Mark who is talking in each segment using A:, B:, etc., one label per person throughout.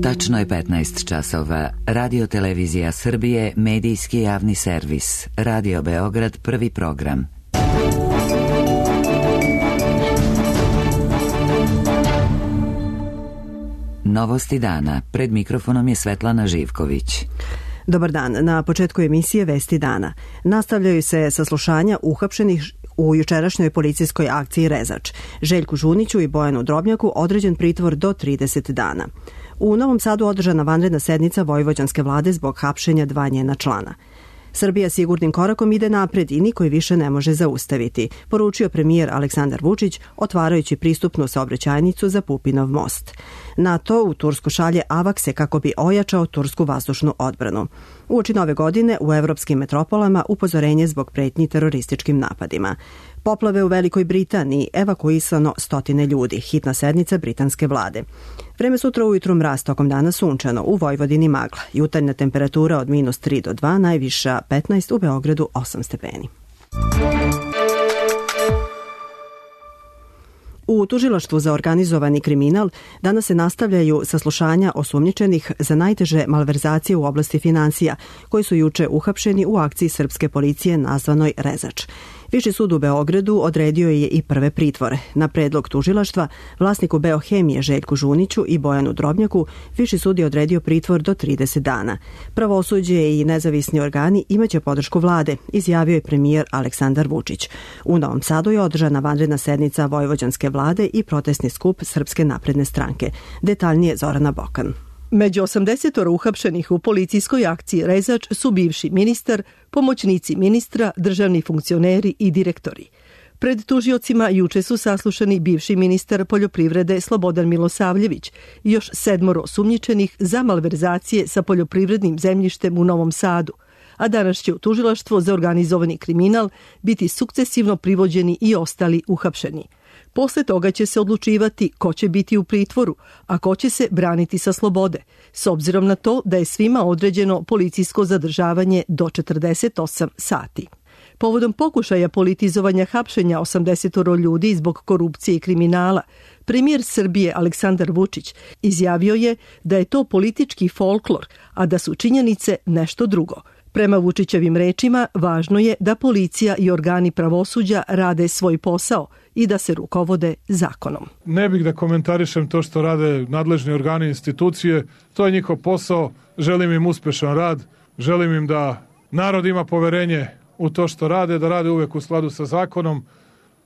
A: Tačno je 15 časova. Radio Televizija Srbije, medijski javni servis. Radio Beograd, prvi program. Novosti dana. Pred mikrofonom je Svetlana Živković.
B: Dobar dan. Na početku emisije Vesti dana. Nastavljaju se saslušanja uhapšenih u jučerašnjoj policijskoj akciji Rezač. Željku Žuniću i Bojanu Drobnjaku određen pritvor do 30 dana. U Novom Sadu održana vanredna sednica vojvođanske vlade zbog hapšenja 2 njena člana. Srbija sigurnim korakom ide napred i niko je više ne može zaustaviti, poručio premijer Aleksandar Vučić otvarajući pristupnu saobraćajnicu za Pupinov most. NATO u Tursku šalje avakse kako bi ojačao tursku vazdušnu odbranu. Uoči nove godine u evropskim metropolama upozorenje zbog pretnji terorističkim napadima. Poplave u Velikoj Britaniji, evakuisano 100 ljudi, hitna sednica britanske vlade. Vreme sutra ujutru mraz, tokom dana sunčano, u Vojvodini magla. Jutarnja temperatura od -3 do 2, najviša 15, u Beogradu 8 stepeni. U Tužilaštvu za organizovani kriminal danas se nastavljaju saslušanja osumnjičenih za najteže malverzacije u oblasti finansija, koji su juče uhapšeni u akciji srpske policije nazvanoj Rezač. Viši sud u Beogradu odredio je i prve pritvore. Na predlog tužilaštva, vlasniku Beohemije Željku Žuniću i Bojanu Drobnjaku, viši sud je odredio pritvor do 30 dana. Pravosuđe i nezavisni organi imaće podršku vlade, izjavio je premijer Aleksandar Vučić. U Novom Sadu je održana vanredna sednica vojvođanske vlade i protestni skup Srpske napredne stranke. Detaljnije Zorana Bokan.
C: Među 80 uhapšenih u policijskoj akciji Rezač su bivši ministar, pomoćnici ministra, državni funkcioneri i direktori. Pred tužiocima juče su saslušani bivši ministar poljoprivrede Slobodan Milosavljević i još 7 osumnjičenih za malverzacije sa poljoprivrednim zemljištem u Novom Sadu, a danas će u tužilaštvo za organizovani kriminal biti sukcesivno privođeni i ostali uhapšeni. Posle toga će se odlučivati ko će biti u pritvoru, a ko će se braniti sa slobode, s obzirom na to da je svima određeno policijsko zadržavanje do 48 sati. Povodom pokušaja politizovanja hapšenja 80 ljudi zbog korupcije i kriminala, premijer Srbije Aleksandar Vučić izjavio je da je to politički folklor, a da su činjenice nešto drugo. Prema Vučićevim rečima, važno je da policija i organi pravosuđa rade svoj posao i da se rukovode zakonom.
D: Ne bih da komentarišem to što rade nadležni organi i institucije, to je njihov posao, želim im uspešan rad, želim im da narod ima poverenje u to što rade, da rade uvek u skladu sa zakonom,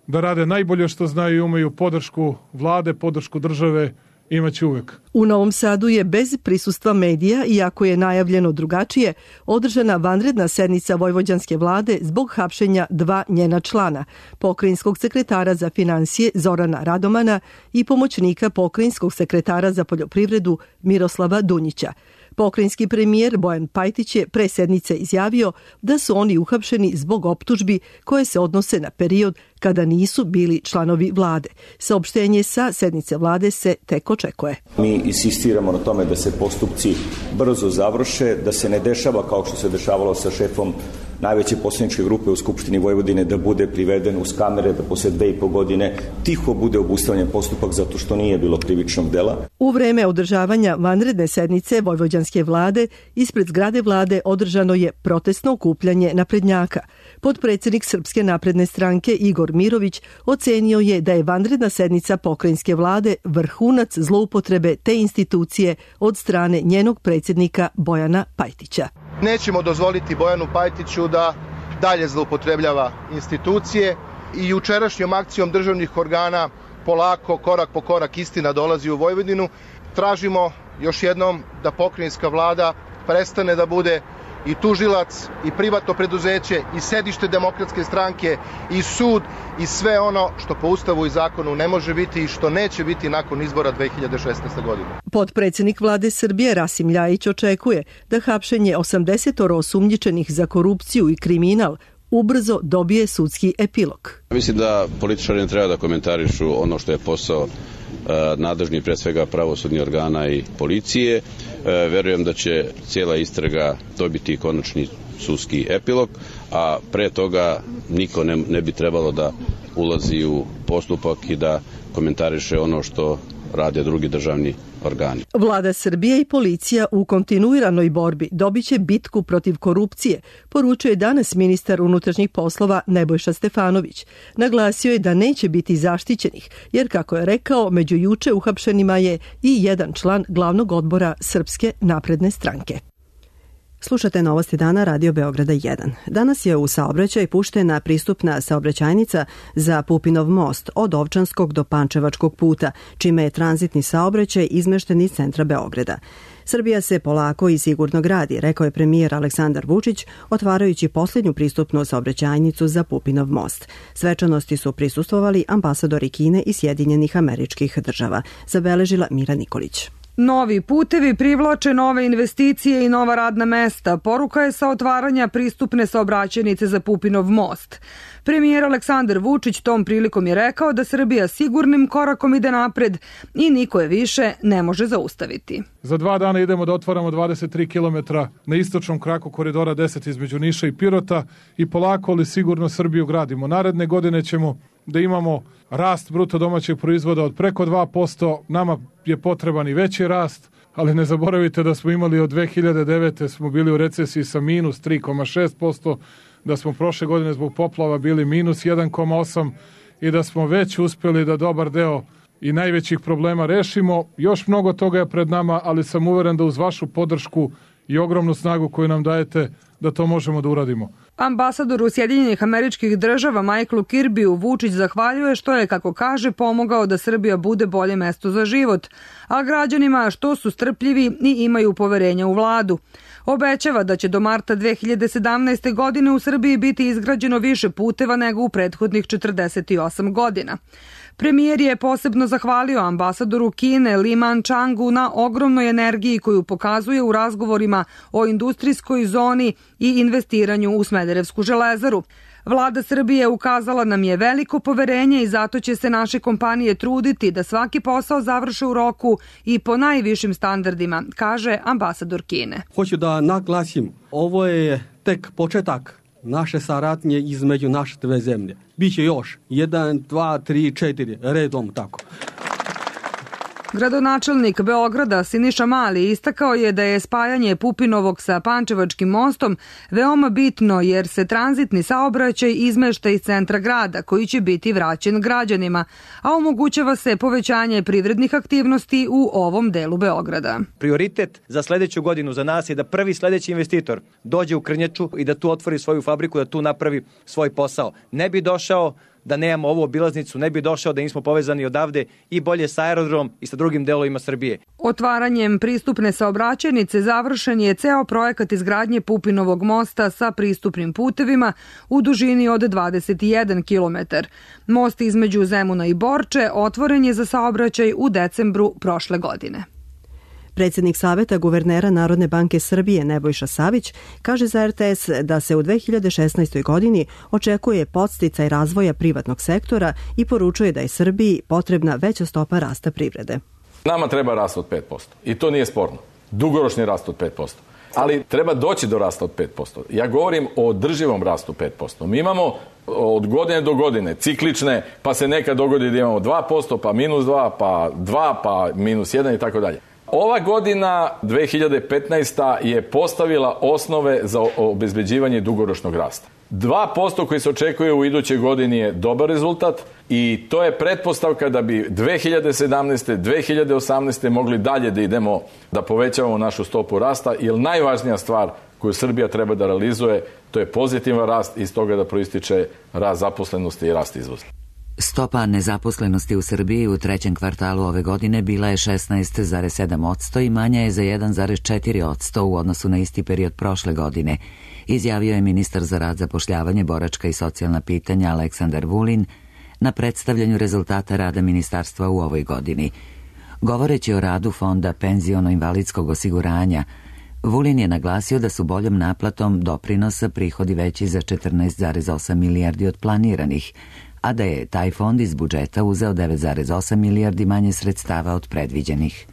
D: da rade najbolje što znaju i umeju, podršku vlade, podršku države, imaće uvek.
C: U Novom Sadu je bez prisustva medija, iako je najavljeno drugačije, održana vanredna sednica vojvođanske vlade zbog hapšenja 2 njena člana, pokrajinskog sekretara za finansije Zorana Radomana i pomoćnika pokrajinskog sekretara za poljoprivredu Miroslava Dunjića. Pokrajinski premijer Bojan Pajtić je pre sednice izjavio da su oni uhapšeni zbog optužbi koje se odnose na period kada nisu bili članovi vlade. Saopštenje sa sednice vlade se tek očekuje.
E: Mi insistiramo na tome da se postupci brzo završe, da se ne dešava kao što se dešavalo sa šefom najveće poslaničke grupe u Skupštini Vojvodine, da bude priveden uz kamere, da posle 2,5 godine tiho bude obustavljen postupak zato što nije bilo krivičnog dela.
C: U vreme održavanja vanredne sednice vojvođanske vlade ispred zgrade vlade održano je protestno okupljanje naprednjaka. Potpredsednik Srpske napredne stranke Igor Mirović ocenio je da je vanredna sednica pokrajinske vlade vrhunac zloupotrebe te institucije od strane njenog predsjednika Bojana Pajtića.
F: Nećemo dozvoliti Bojanu Pajtiću da dalje zloupotrebljava institucije i jučerašnjom akcijom državnih organa polako, korak po korak istina dolazi u Vojvodinu. Tražimo još jednom da pokrajinska vlada prestane da bude i tužilac, i privatno preduzeće, i sedište Demokratske stranke, i sud, i sve ono što po Ustavu i zakonu ne može biti i što neće biti nakon izbora 2016. godine.
C: Potpredsjednik vlade Srbije Rasim Ljajić očekuje da hapšenje 80 osumnjičenih za korupciju i kriminal ubrzo dobije sudski epilog.
G: Mislim da političari ne treba da komentarišu ono što je posao nadležni, pre svega pravosudnih organa i policije. Verujem da će cijela istraga dobiti konačni sudski epilog, a pre toga niko ne bi trebalo da ulazi u postupak i da komentariše ono što rade drugi državni organi.
C: Vlada Srbije i policija u kontinuiranoj borbi dobiće bitku protiv korupcije, poručuje danas ministar unutrašnjih poslova Nebojša Stefanović. Naglasio je da neće biti zaštićenih, jer kako je rekao, među juče uhapšenima je i jedan član glavnog odbora Srpske napredne stranke.
B: Slušate Novosti dana Radio Beograda 1. Danas je u saobraćaj puštena pristupna saobraćajnica za Pupinov most od Ovčanskog do Pančevačkog puta, čime je tranzitni saobraćaj izmešten iz centra Beograda. Srbija se polako i sigurno gradi, rekao je premijer Aleksandar Vučić, otvarajući posljednju pristupnu saobraćajnicu za Pupinov most. Svečanosti su prisustvovali ambasadori Kine i Sjedinjenih Američkih Država, zabeležila Mira Nikolić.
H: Novi putevi privlače nove investicije i nova radna mesta. Poruka je sa otvaranja pristupne saobraćajnice za Pupinov most. Premijer Aleksandar Vučić tom prilikom je rekao da Srbija sigurnim korakom ide napred i niko je više ne može zaustaviti.
D: Za 2 dana idemo da otvaramo 23 km na istočnom kraku koridora 10 između Niša i Pirota i polako ali sigurno Srbiju gradimo. Naredne godine ćemo da imamo rast bruto domaćeg proizvoda od preko 2%. Nama je potreban i veći rast, ali ne zaboravite da smo imali od 2009. smo bili u recesiji sa minus 3,6%, da smo prošle godine zbog poplava bili minus 1,8% i da smo već uspjeli da dobar deo i najvećih problema rešimo. Još mnogo toga je pred nama, ali sam uveren da uz vašu podršku i ogromnu snagu koju nam dajete, da to možemo da uradimo.
H: Ambasadoru Sjedinjenih Američkih Država Michaelu Kirbiju Vučić zahvaljuje što je, kako kaže, pomogao da Srbija bude bolje mesto za život, a građanima što su strpljivi i imaju poverenja u vladu. Obećava da će do marta 2017. godine u Srbiji biti izgrađeno više puteva nego u prethodnih 48 godina. Premijer je posebno zahvalio ambasadoru Kine Li Manchangu na ogromnoj energiji koju pokazuje u razgovorima o industrijskoj zoni i investiranju u Smederevsku železaru. Vlada Srbije ukazala nam je veliko poverenje i zato će se naše kompanije truditi da svaki posao završe u roku i po najvišim standardima, kaže ambasador Kine.
I: Hoću da naglasim, ovo je tek početak naše saradnje između naše dve zemlje. Biće još 1, 2, 3, 4 redom tako.
H: Gradonačelnik Beograda Siniša Mali istakao je da je spajanje Pupinovog sa Pančevačkim mostom veoma bitno jer se tranzitni saobraćaj izmešta iz centra grada koji će biti vraćen građanima, a omogućava se povećanje privrednih aktivnosti u ovom delu Beograda.
J: Prioritet za sledeću godinu za nas je da prvi sledeći investitor dođe u Krnjaču i da tu otvori svoju fabriku, da tu napravi svoj posao. Ne bi došao da nemamo ovu obilaznicu, ne bi došao da nismo povezani odavde i bolje sa aerodromom i sa drugim delovima Srbije.
H: Otvaranjem pristupne saobraćajnice završen je ceo projekat izgradnje Pupinovog mosta sa pristupnim putevima u dužini od 21 km. Most između Zemuna i Borče otvoren je za saobraćaj u decembru prošle godine.
B: Predsjednik Saveta guvernera Narodne banke Srbije Nebojša Savić kaže za RTS da se u 2016. godini očekuje podsticaj razvoja privatnog sektora i poručuje da je Srbiji potrebna veća stopa rasta privrede.
K: Nama treba rast od 5% i to nije sporno. Dugoročni rast od 5%. Ali treba doći do rasta od 5%. Ja govorim o održivom rastu 5%. Mi imamo od godine do godine ciklične, pa se nekad dogodi da imamo 2%, pa minus 2, pa 2, pa minus 1 i tako dalje. Ova godina, 2015. je postavila osnove za obezbeđivanje dugoročnog rasta. 2% koji se očekuje u idućoj godini je dobar rezultat i to je pretpostavka da bi 2017. 2018. mogli dalje da idemo, da povećavamo našu stopu rasta, jer najvažnija stvar koju Srbija treba da realizuje, to je pozitivan rast i iz toga da proističe rast zaposlenosti i rast izvoza.
A: Stopa nezaposlenosti u Srbiji u trećem kvartalu ove godine bila je 16,7% i manja je za 1,4% u odnosu na isti period prošle godine, izjavio je ministar za rad, zapošljavanje, boračka i socijalna pitanja Aleksandar Vulin na predstavljanju rezultata rada ministarstva u ovoj godini. Govoreći o radu Fonda penziono-invalidskog osiguranja, Vulin je naglasio da su boljom naplatom doprinosa prihodi veći za 14,8 milijardi od planiranih, a da je taj fond iz budžeta uzeo 9,8 milijardi manje sredstava od predviđenih.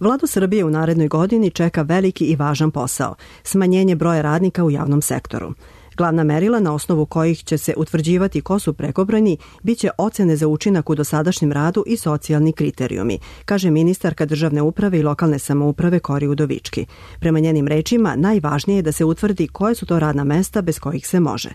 B: Vladu Srbije u narednoj godini čeka veliki i važan posao – smanjenje broja radnika u javnom sektoru. Glavna merila na osnovu kojih će se utvrđivati ko su prekobrojni biće ocene za učinak u dosadašnjem radu i socijalni kriterijumi, kaže ministarka državne uprave i lokalne samouprave Kori Udovički. Prema njenim rečima, najvažnije je da se utvrdi koje su to radna mesta bez kojih se može.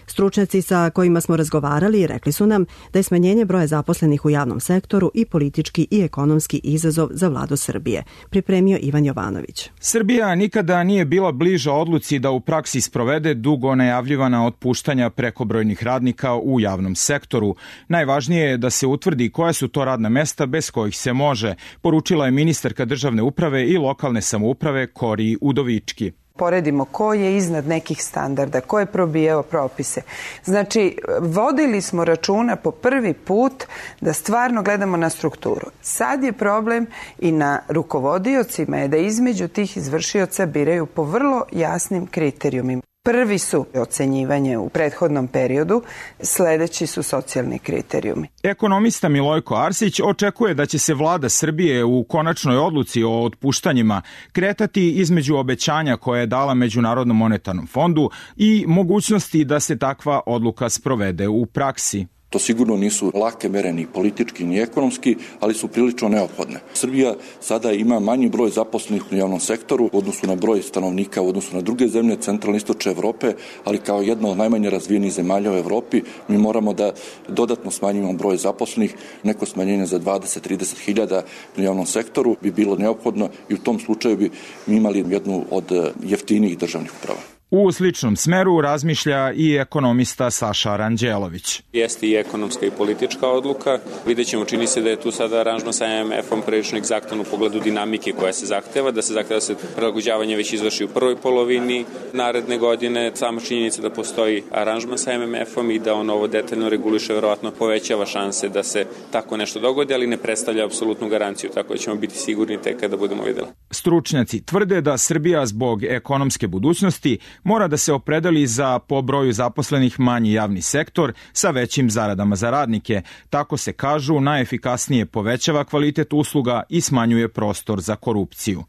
B: Stručnjaci sa kojima smo razgovarali rekli su nam da je smanjenje broja zaposlenih u javnom sektoru i politički i ekonomski izazov za vladu Srbije, pripremio Ivan Jovanović.
L: Srbija nikada nije bila bliža odluci da u praksi sprovede dugo najavljivana otpuštanja prekobrojnih radnika u javnom sektoru. Najvažnije je da se utvrdi koja su to radna mesta bez kojih se može, poručila je ministarka državne uprave i lokalne samouprave Kori Udovički.
M: Poredimo ko je iznad nekih standarda, ko je probijao propise. Znači, vodili smo računa po prvi put da stvarno gledamo na strukturu. Sad je problem i na rukovodiocima je da između tih izvršioca biraju po vrlo jasnim kriterijumima. Prvi su ocenjivanje u prethodnom periodu, sledeći su socijalni kriterijumi.
L: Ekonomista Milojko Arsić očekuje da će se vlada Srbije u konačnoj odluci o otpuštanjima kretati između obećanja koje je dala Međunarodnom monetarnom fondu i mogućnosti da se takva odluka sprovede u praksi.
N: To sigurno nisu lake mere ni politički ni ekonomski, ali su prilično neophodne. Srbija sada ima manji broj zaposlenih u javnom sektoru u odnosu na broj stanovnika, u odnosu na druge zemlje centralne i istočne Evrope, ali kao jedna od najmanje razvijenih zemalja u Evropi mi moramo da dodatno smanjimo broj zaposlenih. Neko smanjenje za 20-30 hiljada u javnom sektoru bi bilo neophodno i u tom slučaju bi mi imali jednu od jeftinijih državnih uprava.
L: U sličnom smeru razmišlja i ekonomista Saša Ranđelović.
O: Jeste i ekonomska i politička odluka. Vidjet ćemo, čini se da je tu sada aranžman sa MMF-om prilično egzaktan u pogledu dinamike koja se zahteva, da se prilagođavanje već izvrši u prvoj polovini naredne godine. Sama činjenica da postoji aranžman sa MMF-om i da on ovo detaljno reguliše verovatno povećava šanse da se tako nešto dogodi, ali ne predstavlja apsolutnu garanciju, tako da ćemo biti sigurni tek kada budemo videli.
L: Stručnjaci tvrde da Srbija zbog ekonomske budućnosti mora da se opredeli za po broju zaposlenih manji javni sektor sa većim zaradama za radnike. Tako se kažu, najefikasnije povećava kvalitet usluga i smanjuje prostor za korupciju.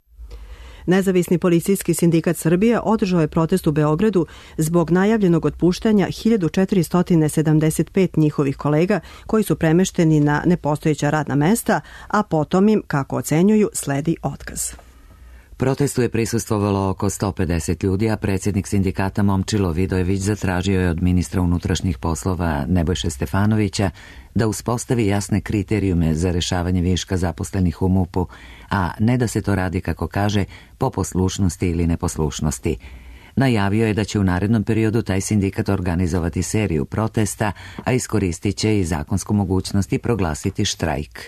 B: Nezavisni policijski sindikat Srbije održao je protest u Beogradu zbog najavljenog otpuštanja 1475 njihovih kolega koji su premešteni na nepostojeća radna mesta, a potom im, kako ocenjuju, sledi otkaz.
A: Protestu je prisustvovalo oko 150 ljudi, a predsjednik sindikata Momčilo Vidojević zatražio je od ministra unutrašnjih poslova Nebojše Stefanovića da uspostavi jasne kriterijume za rešavanje viška zaposlenih u MUP-u, a ne da se to radi, kako kaže, po poslušnosti ili neposlušnosti. Najavio je da će u narednom periodu taj sindikat organizovati seriju protesta, a iskoristit će i zakonsku mogućnost i proglasiti štrajk.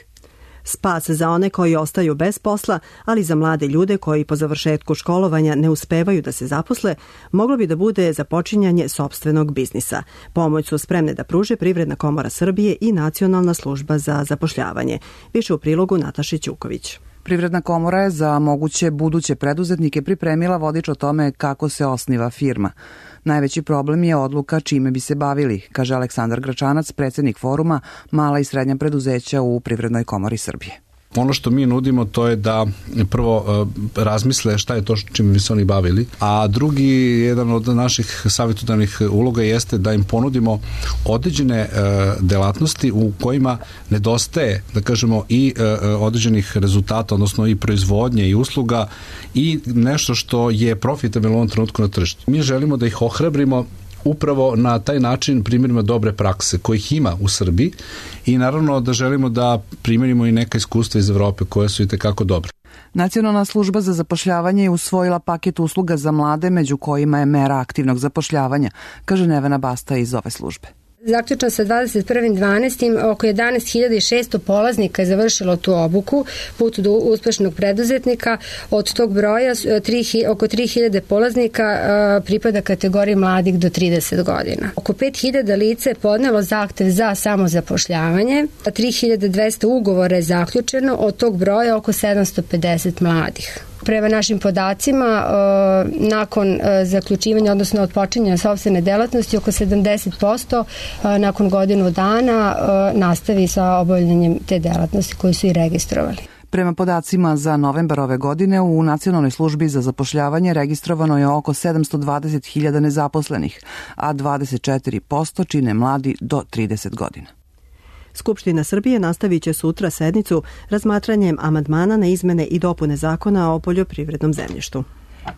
B: Spas za one koji ostaju bez posla, ali za mlade ljude koji po završetku školovanja ne uspevaju da se zaposle, moglo bi da bude započinjanje sopstvenog biznisa. Pomoć su spremne da pruže Privredna komora Srbije i Nacionalna služba za zapošljavanje. Više u prilogu Nataše Ćuković.
P: Privredna komora je za moguće buduće preduzetnike pripremila vodič o tome kako se osniva firma. Najveći problem je odluka čime bi se bavili, kaže Aleksandar Gračanac, predsjednik foruma Mala i srednja preduzeća u Privrednoj komori Srbije.
Q: Ono što mi nudimo to je da prvo razmisle šta je to čime bi se oni bavili, a drugi, jedan od naših savjetodavnih uloga jeste da im ponudimo određene delatnosti u kojima nedostaje, da kažemo, i određenih rezultata, odnosno i proizvodnje i usluga i nešto što je profitabilno u ovom trenutku na tržištu. Mi želimo da ih ohrabrimo upravo na taj način primjerima dobre prakse kojih ima u Srbiji i naravno da želimo da primjerimo i neka iskustva iz Evrope koje su i tekako dobre.
P: Nacionalna služba za zapošljavanje je usvojila paket usluga za mlade, među kojima je mera aktivnog zapošljavanja, kaže Nevena Basta iz ove službe.
R: Zaključno sa 21.12. oko 11.600 polaznika je završilo tu obuku, put do uspešnog preduzetnika. Od tog broja oko 3.000 polaznika pripada kategoriji mladih do 30 godina. Oko 5.000 lice je podnelo zahtev za samozapošljavanje, a 3.200 ugovora je zaključeno, od tog broja oko 750 mladih. Prema našim podacima, nakon zaključivanja, odnosno odpočinjanja sopstvene delatnosti, oko 70% nakon godinu dana nastavi sa obavljanjem te delatnosti koju su i registrovali.
P: Prema podacima za novembar ove godine u Nacionalnoj službi za zapošljavanje registrovano je oko 720.000 nezaposlenih, a 24% čine mladi do 30 godina.
B: Skupština Srbije nastavit će sutra sednicu razmatranjem amandmana na izmene i dopune zakona o poljoprivrednom zemljištu.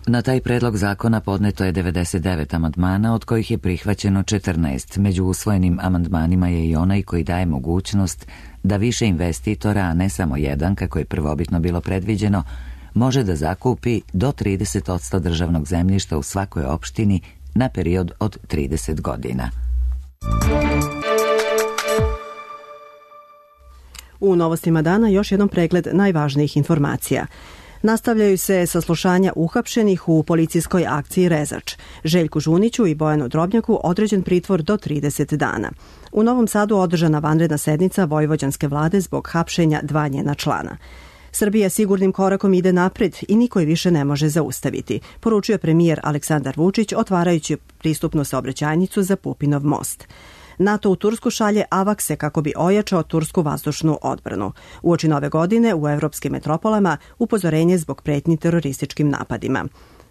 A: Na taj predlog zakona podneto je 99 amandmana, od kojih je prihvaćeno 14. Među usvojenim amandmanima je i onaj koji daje mogućnost da više investitora, a ne samo jedan, kako je prvobitno bilo predviđeno, može da zakupi do 30% državnog zemljišta u svakoj opštini na period od 30 godina.
B: U novostima dana još jedan pregled najvažnijih informacija. Nastavljaju se saslušanja uhapšenih u policijskoj akciji Rezač. Željku Žuniću i Bojanu Drobnjaku određen pritvor do 30 dana. U Novom Sadu održana vanredna sednica vojvođanske vlade zbog hapšenja 2 njena člana. Srbija sigurnim korakom ide napred i niko je više ne može zaustaviti, poručio premijer Aleksandar Vučić otvarajući pristupnu saobraćajnicu za Pupinov most. NATO u Tursku šalje AWACS-e kako bi ojačao tursku vazdušnu odbranu. Uoči nove godine u evropskim metropolama upozorenje zbog pretnji terorističkim napadima.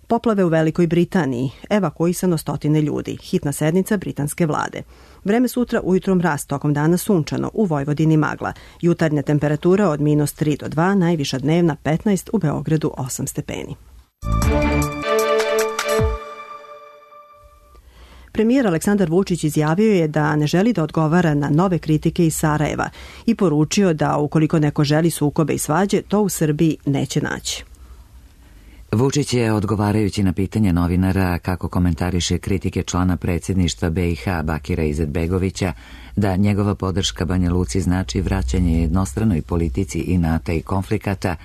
B: Poplave u Velikoj Britaniji, evakuisano 100 ljudi, hitna sednica britanske vlade. Vreme sutra ujutro mraz, tokom dana sunčano, u Vojvodini magla. Jutarnja temperatura od -3 do 2, najviša dnevna 15, u Beogradu 8 stepeni. Premijer Aleksandar Vučić izjavio je da ne želi da odgovara na nove kritike iz Sarajeva i poručio da ukoliko neko želi sukobe i svađe, to u Srbiji neće naći.
A: Vučić je, odgovarajući na pitanje novinara kako komentariše kritike člana predsjedništva BiH Bakira Izetbegovića, da njegova podrška Banja Luci znači vraćanje jednostranoj politici inata i konflikata,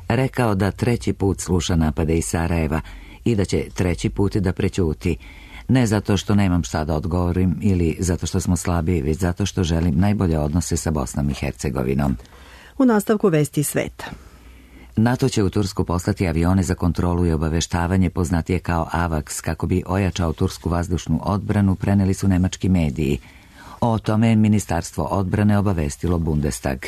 A: rekao da 3. put sluša napade iz Sarajeva i da će 3. put da prećuti. Ne zato što nemam šta da odgovorim ili zato što smo slabiji, već zato što želim najbolje odnose sa Bosnom i Hercegovinom.
B: U nastavku vesti sveta.
A: NATO će u Tursku poslati avione za kontrolu i obaveštavanje, poznatije kao AWACS, kako bi ojačao tursku vazdušnu odbranu, preneli su nemački mediji. O tome je Ministarstvo odbrane obavestilo Bundestag.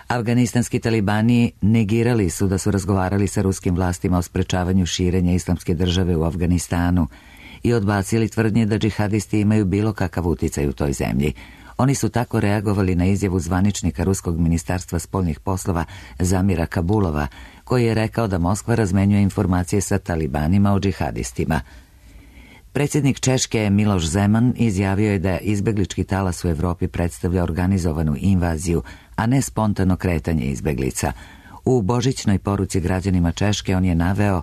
A: Afganistanski talibani negirali su da su razgovarali sa ruskim vlastima o sprečavanju širenja islamske države u Afganistanu i odbacili tvrdnje da džihadisti imaju bilo kakav uticaj u toj zemlji. Oni su tako reagovali na izjavu zvaničnika Ruskog ministarstva spoljnih poslova Zamira Kabulova, koji je rekao da Moskva razmenjuje informacije sa talibanima o džihadistima. Predsjednik Češke Miloš Zeman izjavio je da izbeglički talas u Evropi predstavlja organizovanu invaziju, a ne spontano kretanje izbeglica. U božićnoj poruci građanima Češke on je naveo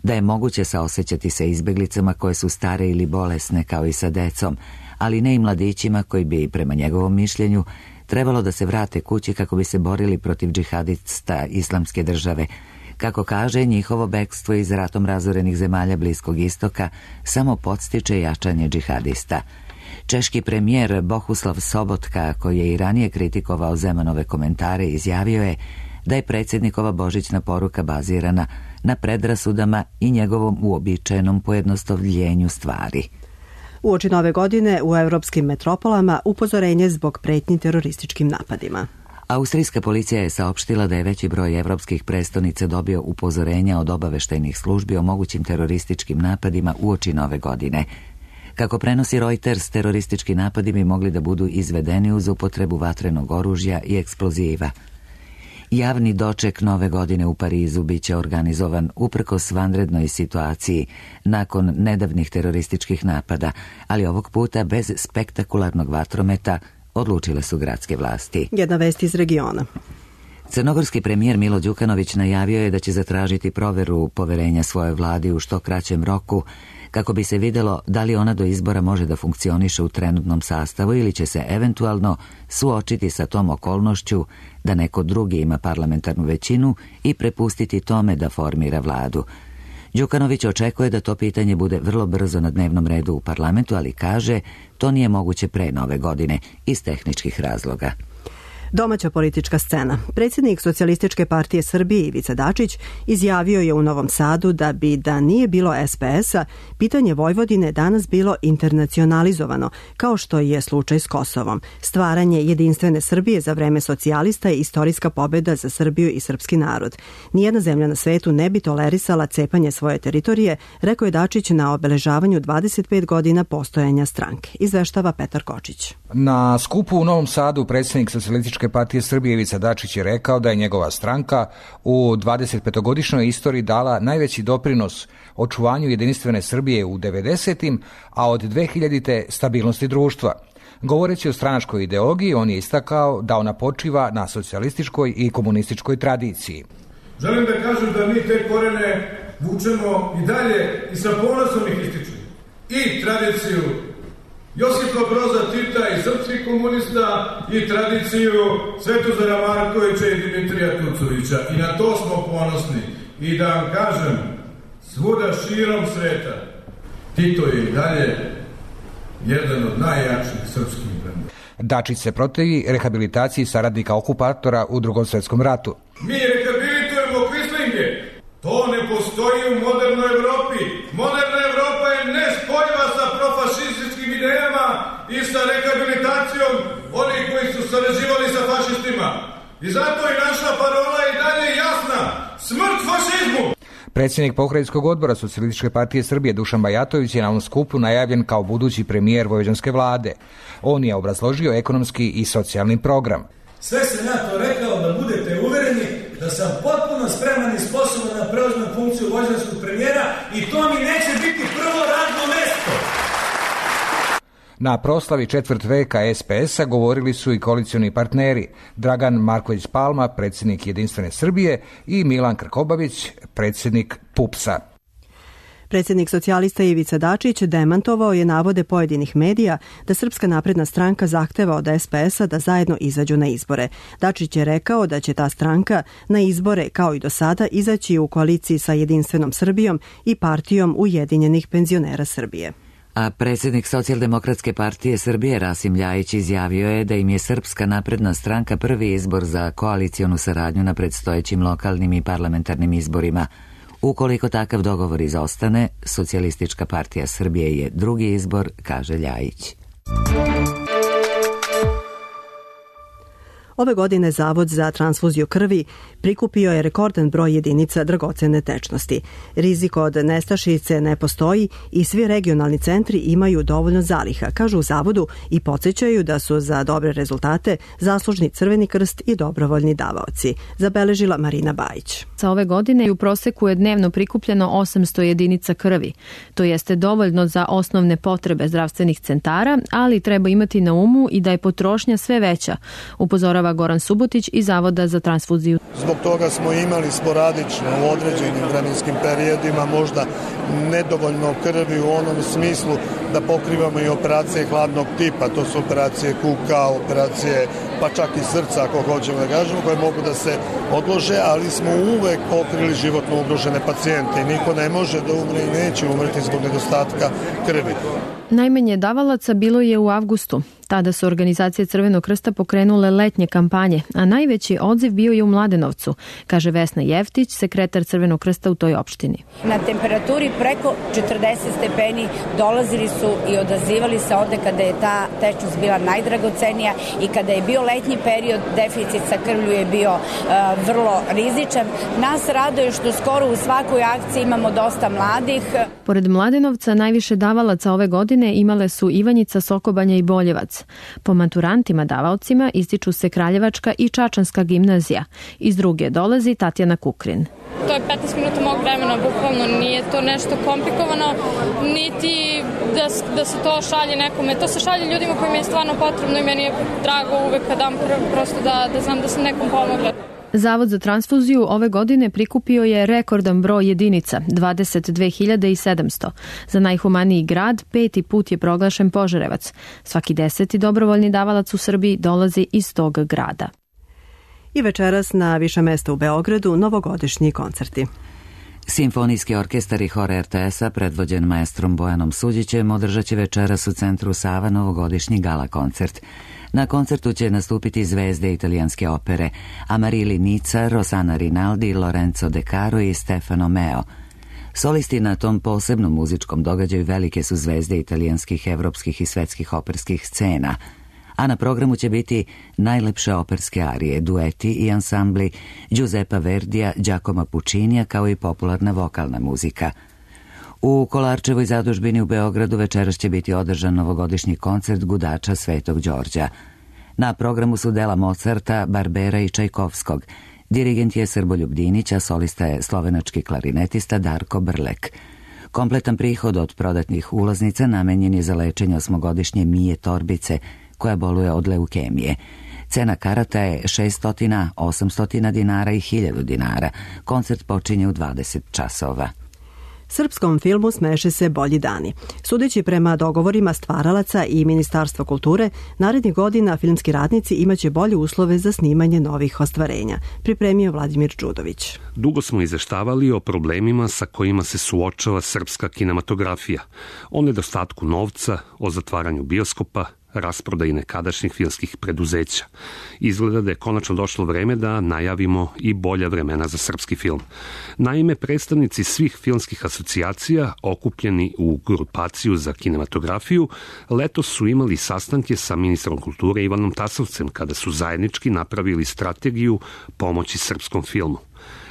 A: da je moguće saosećati se izbeglicama koje su stare ili bolesne kao i sa decom, ali ne i mladićima koji bi, prema njegovom mišljenju, trebalo da se vrate kući kako bi se borili protiv džihadista islamske države. Kako kaže, njihovo bekstvo iz ratom razorenih zemalja Bliskog istoka samo podstiče jačanje džihadista. Češki premijer Bohuslav Sobotka, koji je i ranije kritikovao Zemanove komentare, izjavio je da je predsjednikova božićna poruka bazirana na predrasudama i njegovom uobičajenom pojednostavljenju stvari.
B: Uoči nove godine u evropskim metropolama upozorenje zbog pretnji terorističkim napadima.
A: Austrijska policija je saopštila da je veći broj evropskih prestonica dobio upozorenja od obaveštajnih službi o mogućim terorističkim napadima uoči nove godine. Kako prenosi Reuters, teroristički napadi bi mogli da budu izvedeni uz upotrebu vatrenog oružja i eksploziva. Javni doček nove godine u Parizu biće organizovan uprkos vanrednoj situaciji nakon nedavnih terorističkih napada, ali ovog puta bez spektakularnog vatrometa, odlučile su gradske vlasti.
B: Jedna vest iz regiona.
A: Crnogorski premijer Milo Đukanović najavio je da će zatražiti proveru poverenja svojoj vladi u što kraćem roku, kako bi se videlo da li ona do izbora može da funkcioniše u trenutnom sastavu ili će se eventualno suočiti sa tom okolnošću da neko drugi ima parlamentarnu većinu i prepustiti tome da formira vladu. Đukanović očekuje da to pitanje bude vrlo brzo na dnevnom redu u parlamentu, ali kaže to nije moguće pre nove godine iz tehničkih razloga.
B: Domaća politička scena. Predsjednik Socijalističke partije Srbije Ivica Dačić izjavio je u Novom Sadu da nije bilo SPS-a, pitanje Vojvodine danas bilo internacionalizovano, kao što je slučaj s Kosovom. Stvaranje jedinstvene Srbije za vreme socijalista je istorijska pobjeda za Srbiju i srpski narod. Nijedna zemlja na svetu ne bi tolerisala cepanje svoje teritorije, rekao je Dačić na obeležavanju 25 godina postojanja stranke. Izveštava Petar Kočić.
S: Na skupu u Novom Sadu predsjednik Socijalističke partije Srbije Ivica Dačić je rekao da je njegova stranka u 25-godišnjoj istoriji dala najveći doprinos očuvanju jedinstvene Srbije u 90-im, a od 2000-te stabilnosti društva. Govoreći o stranačkoj ideologiji, on je istakao da ona počiva na socijalističkoj i komunističkoj tradiciji.
T: Želim da kažem da mi te korene vučemo i dalje i sa ponosom ih ističemo. I tradiciju Josipa Broza Tita i srpskih komunista i tradiciju Svetozara Markovića i Dimitrija Tucovića. I na to smo ponosni. I da vam kažem, svuda širom sveta, Tito je i dalje jedan od najjačih srpskih brenda.
S: Dačić se protivi rehabilitaciji saradnika okupatora u Drugom svjetskom ratu.
T: Mi rehabilitujemo kvislinge. To ne postoji u modernoj Evropi. Moderna Evropa je nespojiva sa profašističkim idejama i sa rehabilitacijom onih koji su sarađivali sa fašistima. I zato i naša parola i dalje jasna. Smrt fašizmu!
S: Predsjednik Pokrajinskog odbora Socijalističke partije Srbije Dušan Bajatović je na ovom skupu najavljen kao budući premijer vojvođanske vlade. On je obrazložio ekonomski i socijalni program.
U: Sve sam ja to rekao da budete uvereni da sam potpuno spreman i sposoban da preuzmem funkciju vojvođanskog premijera i to mi neće biti prvo radno mesto.
S: Na proslavi četvrt veka SPS-a govorili su i koalicioni partneri Dragan Marković Palma, predsjednik Jedinstvene Srbije, i Milan Krkobabić, predsjednik PUPS-a.
B: Predsjednik socijalista Ivica Dačić demantovao je navode pojedinih medija da Srpska napredna stranka zahteva od SPS-a da zajedno izađu na izbore. Dačić je rekao da će ta stranka na izbore, kao i do sada, izaći u koaliciji sa Jedinstvenom Srbijom i Partijom ujedinjenih penzionera Srbije.
A: A predsjednik Socijaldemokratske partije Srbije Rasim Ljajić izjavio je da im je Srpska napredna stranka prvi izbor za koalicionu saradnju na predstojećim lokalnim i parlamentarnim izborima. Ukoliko takav dogovor izostane, Socijalistička partija Srbije je drugi izbor, kaže Ljajić.
B: Ove godine Zavod za transfuziju krvi prikupio je rekordan broj jedinica dragocene tečnosti. Rizik od nestašice ne postoji i svi regionalni centri imaju dovoljno zaliha, kažu u Zavodu, i podsjećaju da su za dobre rezultate zaslužni Crveni krst i dobrovoljni davaoci, zabeležila Marina Bajić.
V: Sa ove godine u proseku je dnevno prikupljeno 800 jedinica krvi. To jeste dovoljno za osnovne potrebe zdravstvenih centara, ali treba imati na umu i da je potrošnja sve veća, upozorava Goran Subotić iz Zavoda za transfuziju.
W: Zbog toga smo imali sporadično u određenim vremenskim periodima možda nedovoljno krvi u onom smislu da pokrivamo i operacije hladnog tipa, to su operacije kuka, operacije pa čak i srca, ako hoćemo da kažemo, koje mogu da se odlože, ali smo uvek pokrili životno ugrožene pacijente i niko ne može da umre i neće umreti zbog nedostatka krvi.
V: Najmanje davalaca bilo je u avgustu. Tada su organizacije Crvenog krsta pokrenule letnje kampanje, a najveći odziv bio je u Mladenovcu, kaže Vesna Jeftić, sekretar Crvenog krsta u toj opštini.
X: Na temperaturi preko 40 stepeni dolazili su i odazivali se ovde kada je ta tečnost bila najdragocenija i kada je bio letnji period, deficit sa krvlju je bio vrlo rizičan. Nas raduje što skoro u svakoj akciji imamo dosta mladih.
V: Pored Mladenovca najviše davalaca ove godine imale su Ivanjica, Sokobanja i Boljevac. Po maturantima davaocima ističu se Kraljevačka i Čačanska gimnazija. Iz druge dolazi Tatjana Kukrin.
Y: To je 15 minuta mog vremena, bukvalno nije to nešto komplikovano, niti da se to šalje nekome. To se šalje ljudima kojima je stvarno potrebno i meni je drago uvek kad dam krv, prosto da znam da sam nekom pomogla.
V: Zavod za transfuziju ove godine prikupio je rekordan broj jedinica, 22.700. Za najhumaniji grad 5. put je proglašen Požarevac. Svaki 10. dobrovoljni davalac u Srbiji dolazi iz tog grada.
B: I večeras na više mesta u Beogradu novogodišnji koncerti.
A: Simfonijski orkestar i hor RTS-a, predvođen maestrom Bojanom Suđićem, održat će večeras u centru Sava novogodišnji gala koncert. Na koncertu će nastupiti zvezde italijanske opere Amarili Nica, Rossana Rinaldi, Lorenzo De Caro i Stefano Meo. Solisti na tom posebnom muzičkom događaju velike su zvezde italijanskih, evropskih i svetskih operskih scena, a na programu će biti najlepše operske arije, dueti i ansambli Giuseppa Verdija, Giacomo Puccinija, kao i popularna vokalna muzika. U Kolarčevoj zadužbini u Beogradu večeras će biti održan novogodišnji koncert gudača Svetog Đorđa. Na programu su dela Mozarta, Barbera i Čajkovskog. Dirigent je Srboljub Dinić, a solista je slovenački klarinetista Darko Brlek. Kompletan prihod od prodatnih ulaznica namenjen je za lečenje 8-godišnje Mije Torbice, koja boluje od leukemije. Cena karata je 600, 800 dinara i 1000 dinara. Koncert počinje u 20 časova.
B: Srpskom filmu smeše se bolji dani. Sudeći prema dogovorima stvaralaca i Ministarstva kulture, narednih godina filmski radnici imaće bolje uslove za snimanje novih ostvarenja, pripremio Vladimir Đudović.
C: Dugo smo izveštavali o problemima sa kojima se suočava srpska kinematografija, o nedostatku novca, o zatvaranju bioskopa, rasprodaji nekadašnjih filmskih preduzeća. Izgleda da je konačno došlo vreme da najavimo i bolja vremena za srpski film. Naime, predstavnici svih filmskih asocijacija, okupljeni u grupaciju za kinematografiju, letos su imali sastanke sa ministrom kulture Ivanom Tasovcem, kada su zajednički napravili strategiju pomoći srpskom filmu.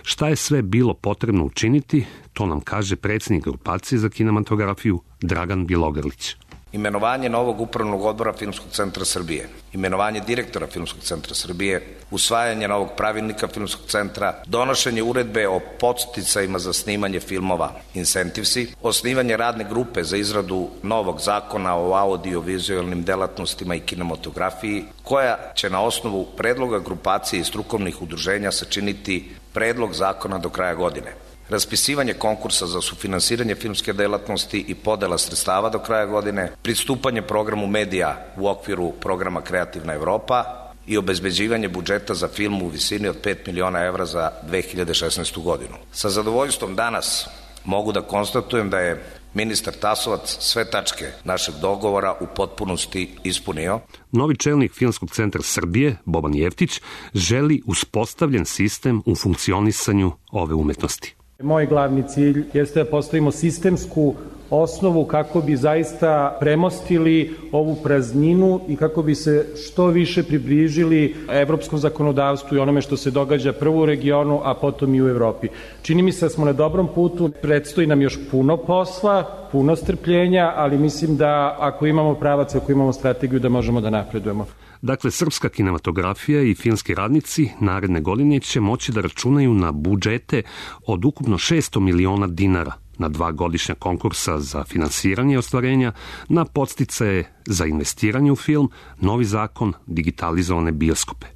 C: Šta je sve bilo potrebno učiniti, to nam kaže predsjednik grupacije za kinematografiju Dragan Bjelogrlić.
D: Imenovanje novog upravnog odbora Filmskog centra Srbije, imenovanje direktora Filmskog centra Srbije, usvajanje novog pravilnika Filmskog centra, donošenje uredbe o podsticajima za snimanje filmova, incentivsi, osnivanje radne grupe za izradu novog zakona o audio-vizualnim delatnostima i kinematografiji, koja će na osnovu predloga grupacije i strukovnih udruženja sačiniti predlog zakona do kraja godine. Raspisivanje konkursa za sufinansiranje filmske delatnosti i podela sredstava do kraja godine, pristupanje programu medija u okviru programa Kreativna Evropa i obezbeđivanje budžeta za film u visini od 5 miliona evra za 2016. godinu. Sa zadovoljstvom danas mogu da konstatujem da je ministar Tasovac sve tačke našeg dogovora u potpunosti ispunio.
C: Novi čelnik Filmskog centra Srbije, Boban Jeftić, želi uspostavljen sistem u funkcionisanju ove umetnosti.
E: Moj glavni cilj jeste da postavimo sistemsku osnovu kako bi zaista premostili ovu prazninu i kako bi se što više približili evropskom zakonodavstvu i onome što se događa prvo u regionu, a potom i u Evropi. Čini mi se da smo na dobrom putu, predstoji nam još puno posla, puno strpljenja, ali mislim da ako imamo pravac, ako imamo strategiju, da možemo da napredujemo.
C: Dakle, srpska kinematografija i filmski radnici naredne godine će moći da računaju na budžete od ukupno 600 miliona dinara, na 2 godišnja konkursa za finansiranje ostvarenja, na podsticaje za investiranje u film, novi zakon, digitalizovane bioskope.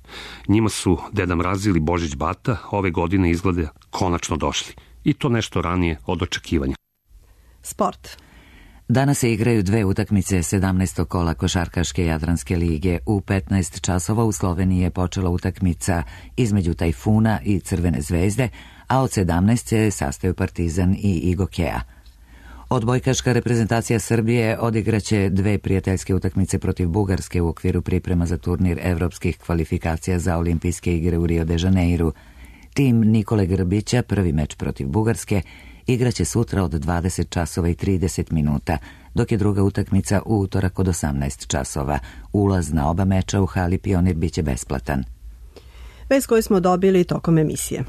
C: Njima su Deda Mraz ili Božić Bata ove godine izgleda konačno došli. I to nešto ranije od očekivanja.
B: Sport.
A: Danas se igraju 2 utakmice 17. kola Košarkaške Jadranske lige. U 15 časova u Sloveniji je počela utakmica između Tajfuna i Crvene zvezde, a od 17 se sastaju Partizan i Igokea. Odbojkaška reprezentacija Srbije odigraće 2 prijateljske utakmice protiv Bugarske u okviru priprema za turnir evropskih kvalifikacija za olimpijske igre u Rio de Janeiru. Tim Nikole Grbića, prvi meč protiv Bugarske, igraće sutra od 20 časova i 30 minuta, dok je druga utakmica u utorak od 18 časova. Ulaz na oba meča u hali Pionir biće besplatan.
B: Vest koju smo dobili tokom emisije.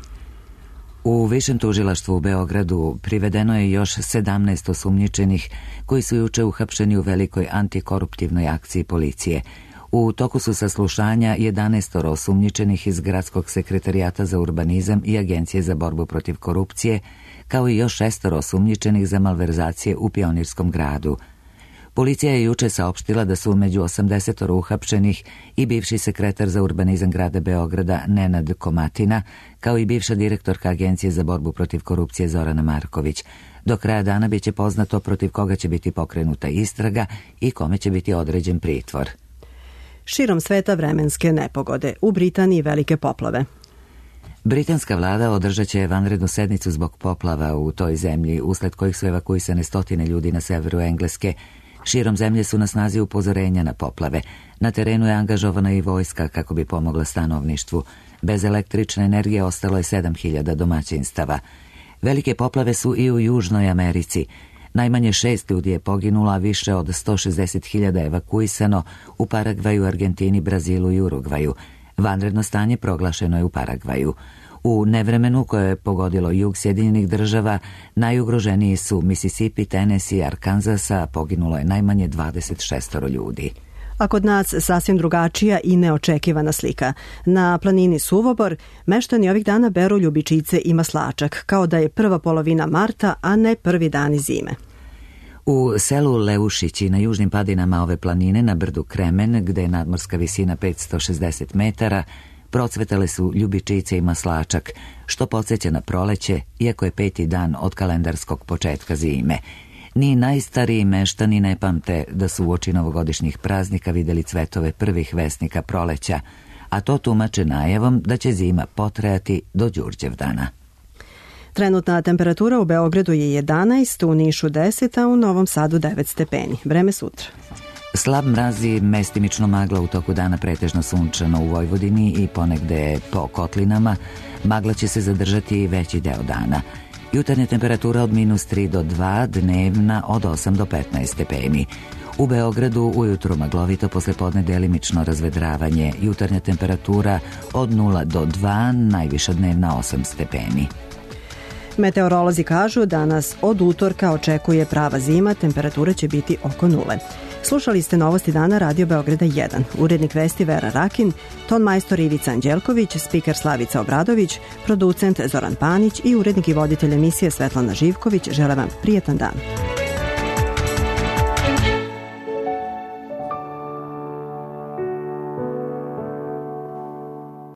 A: U Višem tužilaštvu u Beogradu privedeno je još 17 osumnjičenih koji su juče uhapšeni u velikoj antikoruptivnoj akciji policije. U toku su saslušanja 11 osumnjičenih iz Gradskog sekretarijata za urbanizam i Agencije za borbu protiv korupcije, kao i još 6 osumnjičenih za malverzacije u Pionirskom gradu. Policija je juče saopštila da su među 80 uhapšenih i bivši sekretar za urbanizam grada Beograda Nenad Komatina, kao i bivša direktorka Agencije za borbu protiv korupcije Zorana Marković. Do kraja dana biće poznato protiv koga će biti pokrenuta istraga i kome će biti određen pritvor.
B: Širom sveta vremenske nepogode. U Britaniji velike poplave.
A: Britanska vlada održat će vanrednu sednicu zbog poplava u toj zemlji, usled kojih su evakuisane stotine ljudi na severu Engleske. Širom zemlje su na snazi upozorenja na poplave. Na terenu je angažovana i vojska kako bi pomogla stanovništvu. Bez električne energije ostalo je 7000 domaćinstava. Velike poplave su i u Južnoj Americi. Najmanje 6 ljudi je poginulo, a više od 160.000 evakuisano u Paragvaju, Argentini, Brazilu i Urugvaju. Vanredno stanje proglašeno je u Paragvaju. U nevremenu koje je pogodilo jug Sjedinjenih država, najugroženiji su Mississippi, Tennessee i Arkansas, a poginulo je najmanje 26 ljudi.
B: A kod nas sasvim drugačija i neočekivana slika. Na planini Suvobor meštani ovih dana beru ljubičice i maslačak, kao da je prva polovina marta, a ne prvi dani zime.
A: U selu Leušići na južnim padinama ove planine na brdu Kremen, gde je nadmorska visina 560 metara, procvetale su ljubičice i maslačak, što podsjeća na proleće, iako je 5. dan od kalendarskog početka zime. Ni najstariji meštani ne pamte da su uoči novogodišnjih praznika videli cvetove prvih vesnika proleća, a to tumače najavom da će zima potrajati do Đurđevdana.
B: Trenutna temperatura u Beogradu je 11, u Nišu 10, a u Novom Sadu 9 stepeni. Vreme sutra.
A: Slab mraz i mestimično magla, u toku dana pretežno sunčano u Vojvodini i ponegde po kotlinama. Magla će se zadržati i veći deo dana. Jutarnja temperatura od -3 do 2, dnevna od 8 do 15 stepeni. U Beogradu ujutru maglovito, poslepodne delimično razvedravanje. Jutarnja temperatura od 0 do 2, najviša dnevna 8 stepeni.
B: Meteorolozi kažu da nas od utorka očekuje prava zima, temperatura će biti oko 0. Slušali ste Novosti dana Radio Beograda 1. Urednik vesti Vera Rakin, ton majstor Ivica Anđelković, spiker Slavica Obradović, producent Zoran Panić i urednik i voditelj emisije Svetlana Živković žele vam prijetan dan.